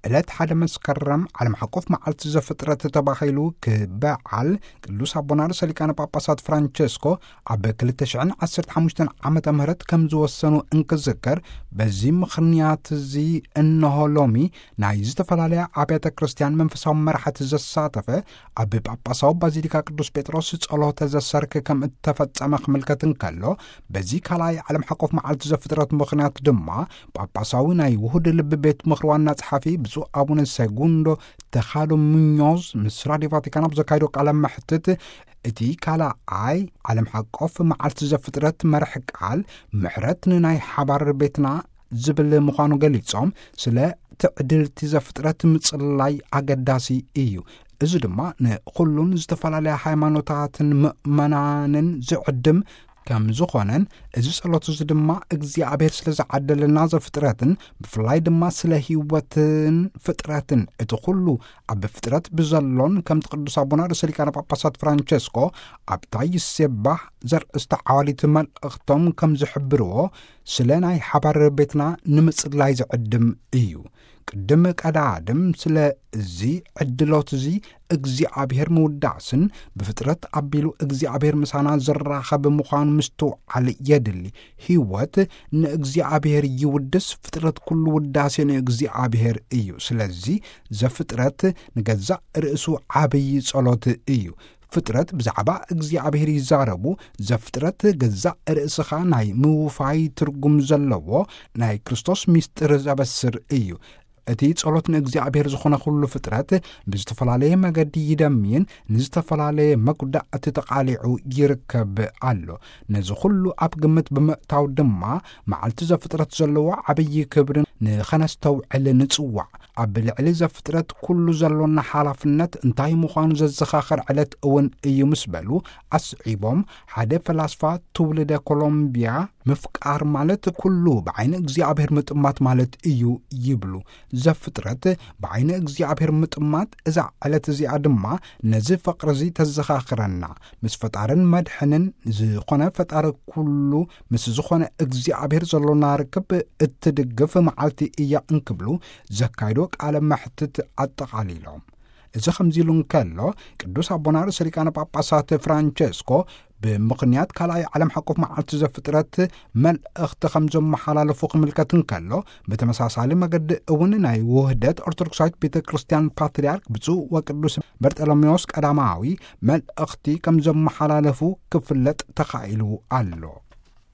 ዕለት ሓደ መስከረም ዓለም ሓቆፍ መዓልቲ ዘፍጥረት ተባሂሉ ክበዓል፣ ቅዱስ ኣቦና ርእሰ ሊቃነ ጳጳሳት ፍራንቸስኮ ኣብ ክልተ ሽሕን ዓሰርተ ሓሙሽተን ዓመተ ምህረት ከም ዝወሰኑ እንክዝከር፣ በዚ ምኽንያት እዚ እነሆ ሎሚ ናይ ዝተፈላለያ ኣብያተ ክርስቲያን መንፈሳዊ መራሕቲ ዘሳተፈ ኣብ ጳጳሳዊ ባዚሊካ ቅዱስ ጴጥሮስ ጸሎተ ዘሰርክ ከም እተፈጸመ ክምልከት እንከሎ፣ በዚ ካልኣይ ዓለም ሓቆፍ መዓልቲ ዘፍጥረት ምኽንያት ድማ ጳጳሳዊ ናይ ውሁድ ልቢ ቤት ምኽሪ ዋና ጸሓፊ ብፁዕ ኣቡነ ሴጉንዶ ተኻዶ ሙኞዝ ምስ ራዲዮ ቫቲካን ኣብ ዘካይዶ ቃለ መሕትት፣ እቲ ካልኣይ ዓለም ሓቆፍ መዓልቲ ዘፍጥረት መርሕ ቃል ምሕረት ንናይ ሓባር ቤትና ዝብል ምዃኑ ገሊጾም፣ ስለ ትዕድልቲ ዘፍጥረት ምጽላይ ኣገዳሲ እዩ። እዚ ድማ ንኹሉን ዝተፈላለያ ሃይማኖታትን ምእመናንን ዝዕድም ከም ዝኾነን፣ እዚ ጸሎት እዚ ድማ እግዚኣብሔር ስለ ዝዓደለና ዘፍጥረትን ብፍላይ ድማ ስለ ህይወትን ፍጥረትን እቲ ኩሉ ኣብ ፍጥረት ብዘሎን፣ ከምቲ ቅዱስ ኣቦና ርእሰ ሊቃነ ጳጳሳት ፍራንቸስኮ ኣብታ ይሴባህ ዘርእስታ ዓዋሊት መልእኽቶም ከም ዝሕብርዎ፣ ስለ ናይ ሓባር ቤትና ንምጽላይ ዝዕድም እዩ። ቅድም ቀዳድም ስለ እዚ ዕድሎት እዚ እግዚኣብሔር ምውዳስን ብፍጥረት ኣቢሉ እግዚኣብሔር ምሳና ዝራኸብ ምዃኑ ምስትውዓል የድሊ። ህይወት ንእግዚኣብሔር ይውድስ፣ ፍጥረት ኩሉ ውዳሴ ንእግዚኣብሔር እዩ። ስለዚ ዘፍጥረት ንገዛእ ርእሱ ዓብዪ ጸሎት እዩ። ፍጥረት ብዛዕባ እግዚኣብሔር ይዛረቡ። ዘፍጥረት ገዛእ ርእስኻ ናይ ምውፋይ ትርጉም ዘለዎ ናይ ክርስቶስ ምስጢር ዘበስር እዩ። እቲ ጸሎት ንእግዚኣብሔር ዝኾነ ኩሉ ፍጥረት ብዝተፈላለየ መገዲ ይደምይን ንዝተፈላለየ መጉዳእቲ ተቓሊዑ ይርከብ ኣሎ። ነዚ ኩሉ ኣብ ግምት ብምእታው ድማ መዓልቲ ዘፍጥረት ዘለዎ ዓብዪ ክብሪ ንኸነስተውዕል ንጽዋዕ። ኣብ ልዕሊ ዘፍጥረት ኩሉ ዘሎና ሓላፍነት እንታይ ምዃኑ ዘዘኻኽር ዕለት እውን እዩ ምስ በሉ ኣስዒቦም፣ ሓደ ፈላስፋ ትውልደ ኮሎምቢያ ምፍቃር ማለት ኩሉ ብዓይኒ እግዚኣብሔር ምጥማት ማለት እዩ ይብሉ። ዘፍጥረት ብዓይኒ እግዚኣብሔር ምጥማት፣ እዛ ዕለት እዚኣ ድማ ነዚ ፍቕሪ እዚ ተዘኻኽረና። ምስ ፈጣርን መድሕንን ዝኾነ ፈጣሪ ኩሉ ምስ ዝኾነ እግዚኣብሔር ዘሎና ርክብ እትድግፍ መዓልቲ እያ እንክብሉ ዘካይዶ ቃለ መሕትት ኣጠቓሊሎም። እዚ ከምዚ ኢሉ እንከሎ፣ ቅዱስ ኣቦና ርእሰ ሊቃነ ጳጳሳት ፍራንቸስኮ ብምኽንያት ካልኣይ ዓለም ሓቆፍ መዓልቲ ዘፍጥረት መልእኽቲ ከም ዘመሓላለፉ ክምልከት እንከሎ፣ ብተመሳሳሊ መገዲ እውን ናይ ውህደት ኦርቶዶክሳዊት ቤተ ክርስቲያን ፓትርያርክ ብፁዕ ወቅዱስ በርጠሎሜዎስ ቀዳማዊ መልእኽቲ ከም ዘመሓላለፉ ክፍለጥ ተኻኢሉ ኣሎ።